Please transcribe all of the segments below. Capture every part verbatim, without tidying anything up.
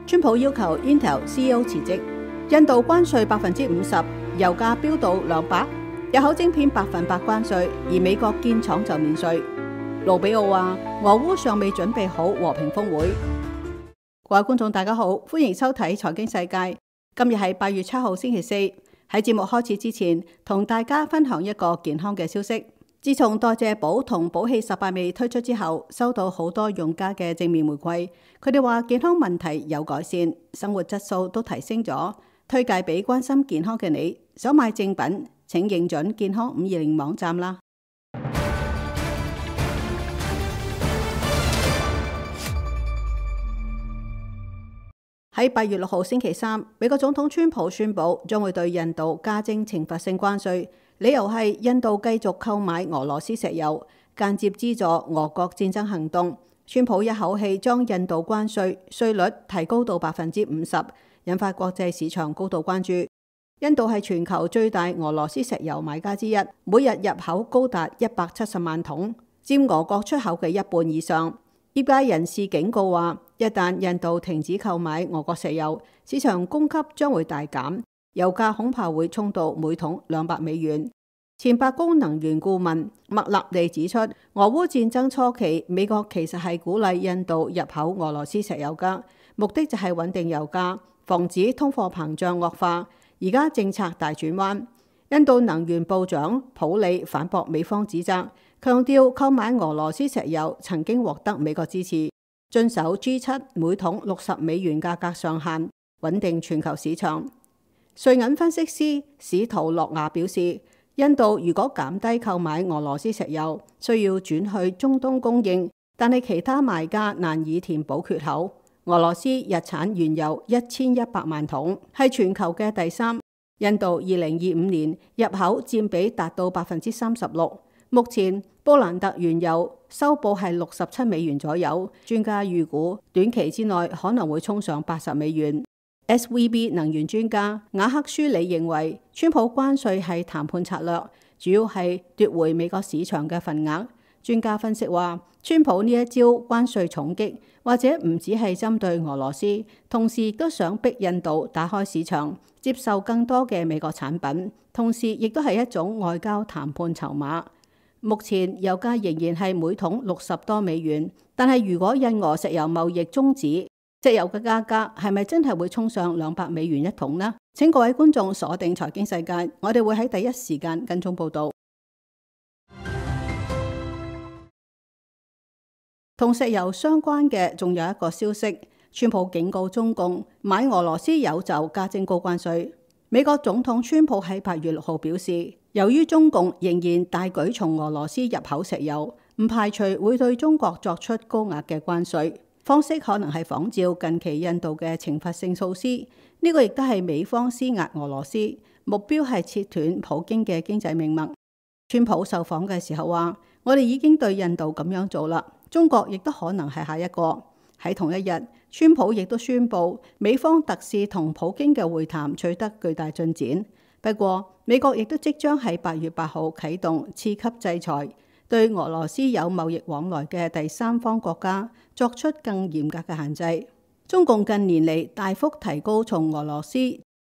川普要求 Intel C E O 辭職。印度關稅百分之五十，油價飆到兩百，入口晶片百分百關稅，而美國建廠就免稅。盧比奧話：俄烏尚未準備好和平峰會。各位觀眾大家好，歡迎收睇財經世界。今日係八月七號星期四。喺節目開始之前，同大家分享一個健康嘅消息。自從代謝寶同寶氣十八味推出之後，收到好多用家嘅正面回饋。佢哋話健康問題有改善，生活質素都提升咗，推介俾關心健康嘅你。想買正品，請認準健康五二零網站啦。喺八月六號星期三，美國總統川普宣布將會對印度加徵懲罰性關稅，理由係印度繼續購買俄羅斯石油，間接資助俄國戰爭行動。川普一口氣將印度關稅稅率提高到百分之五十，引發國際市場高度關注。印度係全球最大俄羅斯石油買家之一，每日入口高達一百七十萬桶，佔俄國出口嘅一半以上。業界人士警告話，一旦印度停止購買俄國石油，市場供給將會大減，油價恐怕會衝到每桶兩百美元。前白宮能源顧問麥納利指出，俄烏戰爭初期，美國其實係鼓勵印度入口俄羅斯石油㗎，目的就係穩定油價，防止通貨膨脹惡化。而家政策大轉彎，印度能源部長普里反駁美方指責，強調購買俄羅斯石油曾經獲得美國支持，遵守 G 七 每桶六十美元價格上限，穩定全球市場。瑞銀分析師史圖洛亞表示，印度如果減低購買俄羅斯石油，需要轉去中東供應，但係其他賣家難以填補缺口。俄羅斯日產原油一千一百萬桶，係全球嘅第三。印度二零二五年入口佔比達到百分之三十六。目前布蘭特原油收報係六十七美元左右，專家預估短期之內可能會衝上八十美元。S V B 能源專家雅克舒里認為，川普關稅係談判策略，主要係奪回美國市場嘅份額。專家分析話，川普呢一招關稅重擊，或者唔只係針對俄羅斯，同時亦都想逼印度打開市場，接受更多嘅美國產品，同時亦都係一種外交談判籌碼。目前油價仍然係每桶六十多美元，但係如果印俄石油貿易終止，石油嘅價格係咪真係會衝上兩百美元一桶呢？請各位觀眾鎖定財經世界，我哋會喺第一時間跟蹤報道。同石油相關嘅仲有一個消息，川普警告中共買俄羅斯油就加徵高關稅。美國總統川普喺八月六號表示，由於中共仍然大舉從俄羅斯入口石油，唔排除會對中國作出高額嘅關稅，方式可能係仿照近期印度嘅懲罰性措施。呢個亦都係美方施壓俄羅斯，目標係切斷普京嘅經濟命脈。川普受訪嘅時候話，我哋已經對印度咁樣做啦，中國亦都可能係下一個。喺同一日，川普亦都宣布美方特使同普京嘅會談取得巨大進展。不過，美國亦都即將喺八月八號啟動次級制裁，對俄羅斯有貿易往來嘅第三方國家作出更嚴格嘅限制。中共近年嚟大幅提高從俄羅斯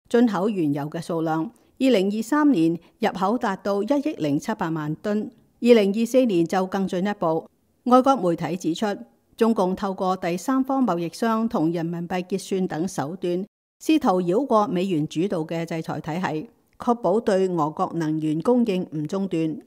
進口原油嘅數量，二零二三年入口達到一億零七百萬噸，二零二四年就更進一步。外國媒體指出，中共透過第三方貿易商同人民幣結算等手段，試圖繞過美元主導嘅制裁體系，確保對俄國能源供應唔中斷。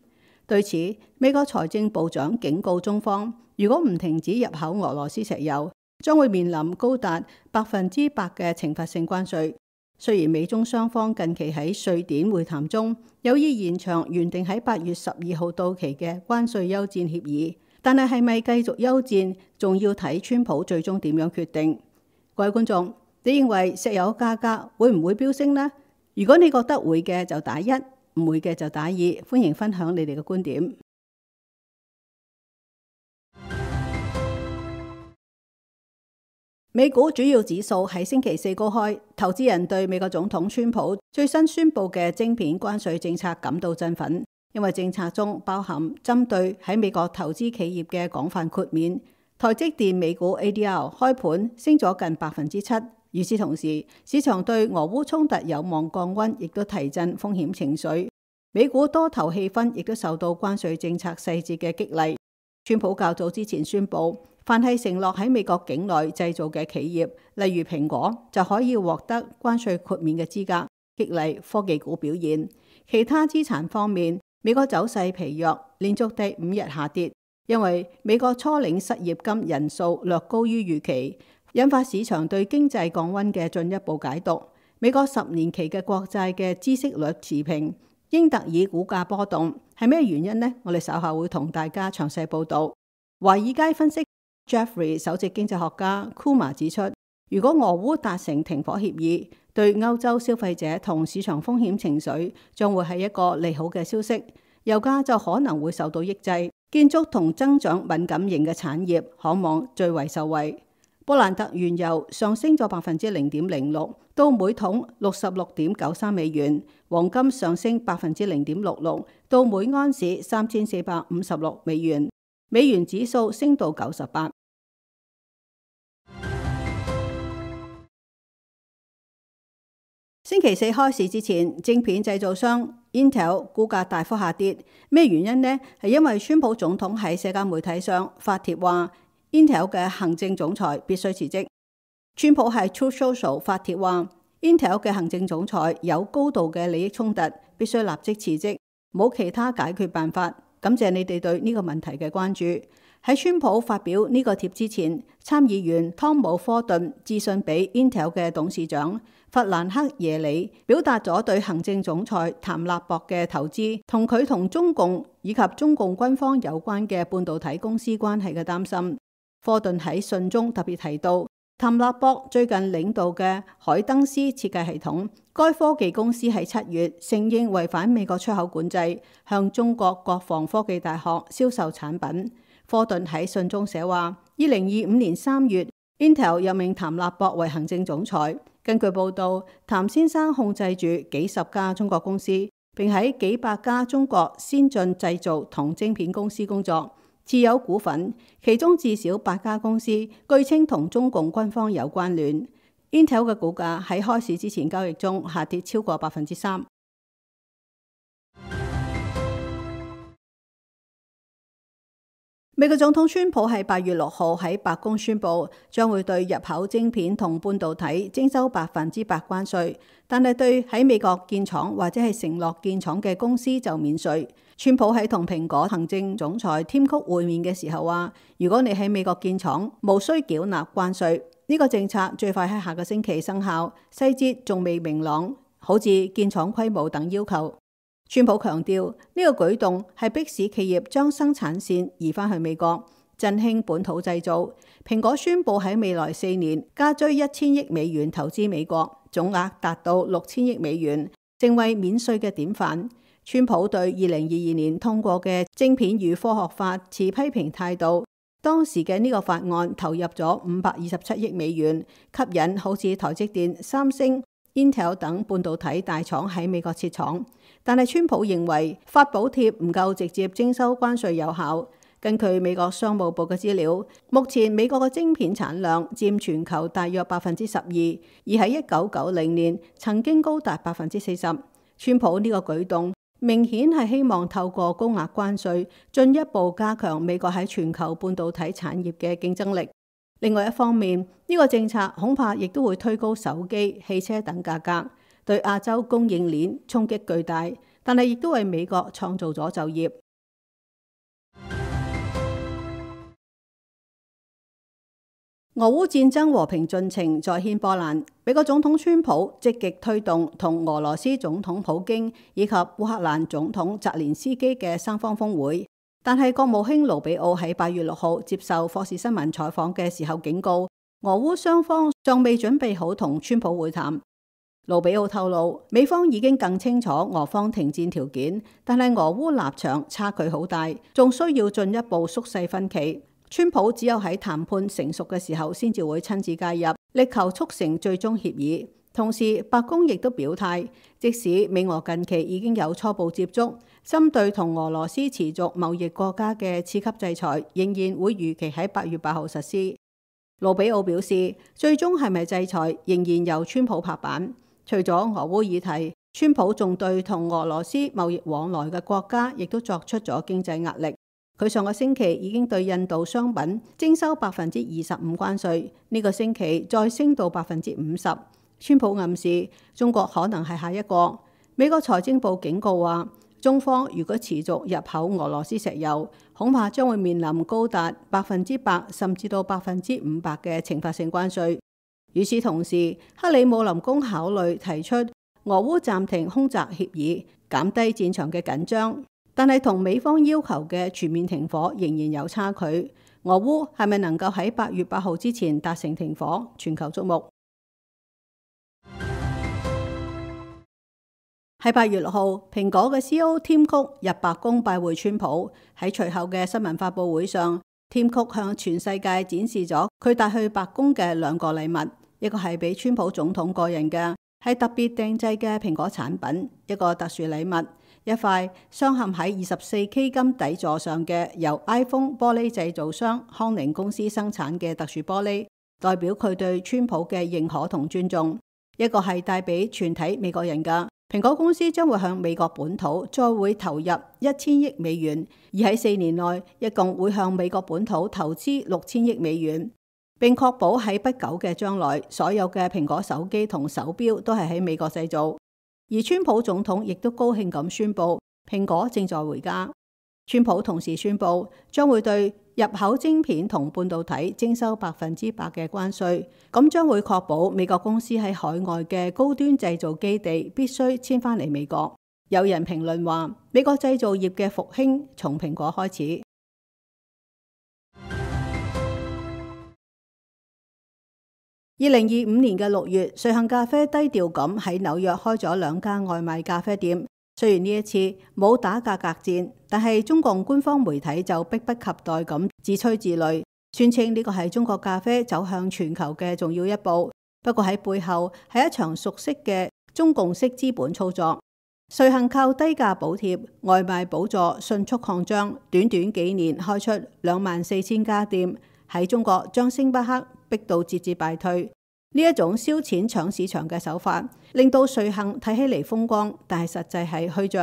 對此，美國財政部長警告中方，如果唔停止入口俄羅斯石油，將會面臨高達百分之百嘅懲罰性關稅。雖然美中雙方近期喺瑞典會談中有意延長原定喺八月十二號到期嘅關稅休戰協議，但係係咪繼續休戰，仲要睇川普最終點樣決定。各位觀眾，你認為石油價格會唔會飆升呢？如果你覺得會嘅就打一，唔會嘅就打二。歡迎分享你哋嘅觀點。美股主要指數喺星期四高開，投資人對美國總統川普最新宣布嘅晶片關稅政策感到振奮，因為政策中包含針對喺美國投資企業嘅廣泛豁免。台積電美股 A D R 開盤升咗近百分之七，與此同時，市場對俄烏衝突有望降溫，亦都提振風險情緒。美股多頭氣氛亦都受到關稅政策細節嘅激勵。川普較早之前宣布，凡係承諾喺美國境內製造嘅企業，例如蘋果，就可以獲得關稅豁免嘅資格，激勵科技股表現。其他資產方面，美國走勢疲弱，連續第五日下跌，因為美國初領失業金人數略高於預期，引發市場對經濟降溫嘅進一步解讀。美國十年期嘅國債嘅孳息率持平，英特爾股價波動，係咩原因呢？我哋稍後會同大家詳細報道。華爾街分析 Jeffrey 首席經濟學家 Kuma 指出，如果俄烏達成停火協議，對歐洲消費者同市場風險情緒將會係一個利好嘅消息，油價就可能會受到抑制。建築同增長敏感型嘅產業可望最為受惠。布蘭特原油上升咗百分之零點零六，到每桶六十六點九三美元。黃金上升百分之零點六六，到每安士三千四百五十六美元。美元指數升到九十八。星期四開市之前，晶片製造商 Intel 股價大幅下跌，咩原因呢？係因為川普總統喺社交媒體上發帖話 Intel 嘅行政總裁必須辭職。川普喺 Truth Social 發帖話 Intel 嘅行政總裁有高度嘅利益衝突，必須立即辭職，冇其他解決辦法。感謝你哋對呢個問題嘅關注。喺川普發表呢個帖之前，參議員湯姆科頓致信俾 Intel 嘅董事長弗蘭克耶里，表達咗對行政總裁譚納博嘅投資同佢同中共以及中共軍方有關嘅半導體公司關係嘅擔心。科頓喺信中特別提到，譚納博最近領導嘅海登斯設計系統，該科技公司喺七月承認違反美國出口管制，向中國國防科技大學銷售產品。科頓喺信中寫話，二零二五年三月 Intel 任命譚納博為行政總裁。根據報道，譚先生控制住幾十家中國公司，並喺幾百家中國先進製造同晶片公司工作，持有股份，其中至少八家公司據稱同中共軍方有關聯。Intel 嘅股價喺開市之前交易中下跌超過百分之三。美國總統川普喺八月六號喺白宮宣布，將會對入口晶片同半導體徵收百分之百關稅，但係對喺美國建廠或者係承諾建廠嘅公司就免稅。川普喺同蘋果行政總裁添曲會面嘅時候話，如果你喺美國建廠，無需繳納關稅。呢個政策最快喺下個星期生效，細節仲未明朗，好似建廠規模等要求。川普強調呢個舉動係迫使企業將生產線移返去美國，振興本土製造。蘋果宣布喺未來四年加追一千億美元投資美國，總額達到六千億美元，成為免稅嘅典範。川普對二零二二年通過嘅晶片與科學法持批評態度。當時嘅呢個法案投入咗五百二十七億美元，吸引好似台積電、三星、Intel 等半導體大廠喺美國設廠。但係川普認為發補貼唔夠直接徵收關稅有效。根據美國商務部嘅資料，目前美國嘅晶片產量佔全球大約百分之十二，而喺一九九零年曾經高達百分之四十。川普呢個舉動明顯係希望透過高額關稅進一步加強美國喺全球半導體產業嘅競爭力。另外一方面，呢個政策恐怕亦都會推高手機、汽車等價格，對亞洲供應鏈衝擊巨大，但係亦都為美國創造咗就業。俄烏戰爭和平進程再掀波瀾，美國總統川普積極推動同俄羅斯總統普京以及烏克蘭總統澤連斯基嘅三方峰會，但係國務卿盧比奧喺八月六號接受霍士新聞採訪嘅時候警告，俄烏雙方尚未準備好同川普會談。盧比奧透露，美方已經更清楚俄方停戰條件，但係俄烏立場差距好大，仲需要進一步縮細分歧。川普只有喺談判成熟嘅時候，先至會親自介入，力求促成最終協議。同時，白宮亦都表態，即使美俄近期已經有初步接觸，針對同俄羅斯持續貿易國家嘅次級制裁，仍然會如期喺八月八號實施。盧比奧表示，最終係咪制裁仍然由川普拍板。除咗俄烏議題，川普仲對同俄羅斯貿易往來嘅國家亦都作出咗經濟壓力。佢上個星期已經對印度商品徵收百分之二十五關稅，呢個星期再升到百分之五十。川普暗示中國可能係下一個。美國財政部警告話，中方如果持續入口俄羅斯石油，恐怕將會面臨高達百分之百甚至到百分之五百嘅懲罰性關稅。與此同時，克里姆林宮考慮提出俄烏暫停空襲協議，減低戰場嘅緊張。但係同美方要求嘅全面停火仍然有差距。俄烏係咪能夠喺八月八號之前達成停火？全球矚目。喺八月六號，蘋果嘅 C E O 添曲入白宮拜會川普。喺隨後嘅新聞發佈會上，添曲向全世界展示咗佢帶去白宮嘅兩個禮物，一個係俾川普總統個人嘅，係特別訂製嘅蘋果產品，一個特殊禮物。一塊鑲嵌喺二十四 K 金底座上嘅由 iPhone 玻璃製造商康寧公司生產嘅特殊玻璃，代表佢對川普嘅認可同尊重。一個係帶俾全體美國人㗎。蘋果公司將會向美國本土再會投入一千億美元，而喺四年內一共會向美國本土投資六千億美元，並確保喺不久嘅將來，所有嘅蘋果手機同手錶都係喺美國製造。而川普總統亦都高興咁宣布，蘋果正在回家。川普同時宣布，將會對入口晶片同半導體徵收百分之百嘅關稅，咁將會確保美國公司喺海外嘅高端製造基地必須遷返嚟美國。有人評論話，美國製造業嘅復興從蘋果開始。二零二五年嘅六月，瑞幸咖啡低調咁喺紐約開咗兩間外賣咖啡店。雖然呢一次冇打價格戰，但係中共官方媒體就迫不及待咁自吹自擂，宣稱呢個係中國咖啡走向全球嘅重要一步。不過喺背後係一場熟悉嘅中共式資本操作。瑞幸靠低價補貼、外賣補助迅速擴張，短短幾年開出兩萬四千家店，喺中國將星巴克逼到節節敗退。呢一種燒錢搶市場嘅手法，令到瑞幸睇起嚟風光，但係實際係虛賬。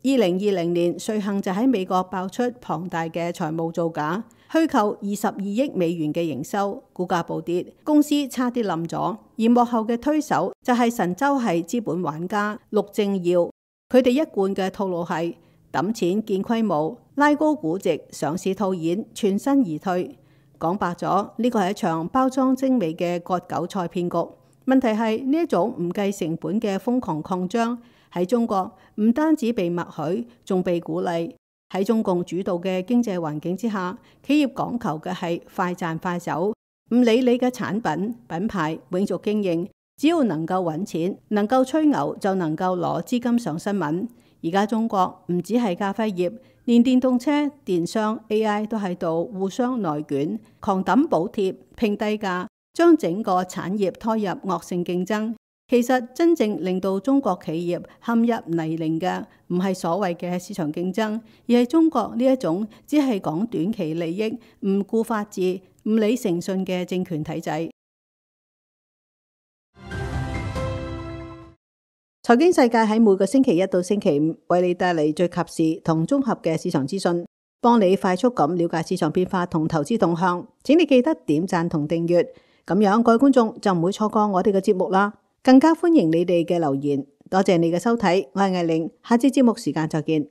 二零二零年，瑞幸就喺美國爆出龐大嘅財務造假，虛構二十二億美元嘅營收，股價暴跌，公司差啲冧咗。而幕後嘅推手就係神州系資本玩家陸正耀，佢哋一貫嘅套路係揼錢建規模，拉高估值，上市套現，全身而退。講白咗，呢個係一場包裝精美嘅割韭菜騙局。問題係呢一種唔計成本嘅瘋狂擴張喺中國唔單止被默許，仲被鼓勵。喺中共主導嘅經濟環境之下，企業講求嘅係快賺快走，唔理你嘅產品品牌永續經營，只要能夠揾錢，能夠吹牛就能夠攞資金上新聞。而家中國唔止係咖啡業，連電動車、電商、A I 都喺度互相內捲，狂抌補貼、拼低價，將整個產業拖入惡性競爭。其實真正令到中國企業陷入泥濘嘅，唔係所謂嘅市場競爭，而係中國呢一種只係講短期利益、唔顧法治、唔理誠信嘅政權體制。財經世界喺每個星期一到星期五為你帶嚟最及時同綜合嘅市場資訊，幫你快速咁了解市場變化同投資動向。請你記得點讚同訂閱，咁樣各位觀眾就唔會錯過我哋嘅節目啦。更加歡迎你哋嘅留言，多謝你嘅收睇，我係艾玲，下次節目時間再見。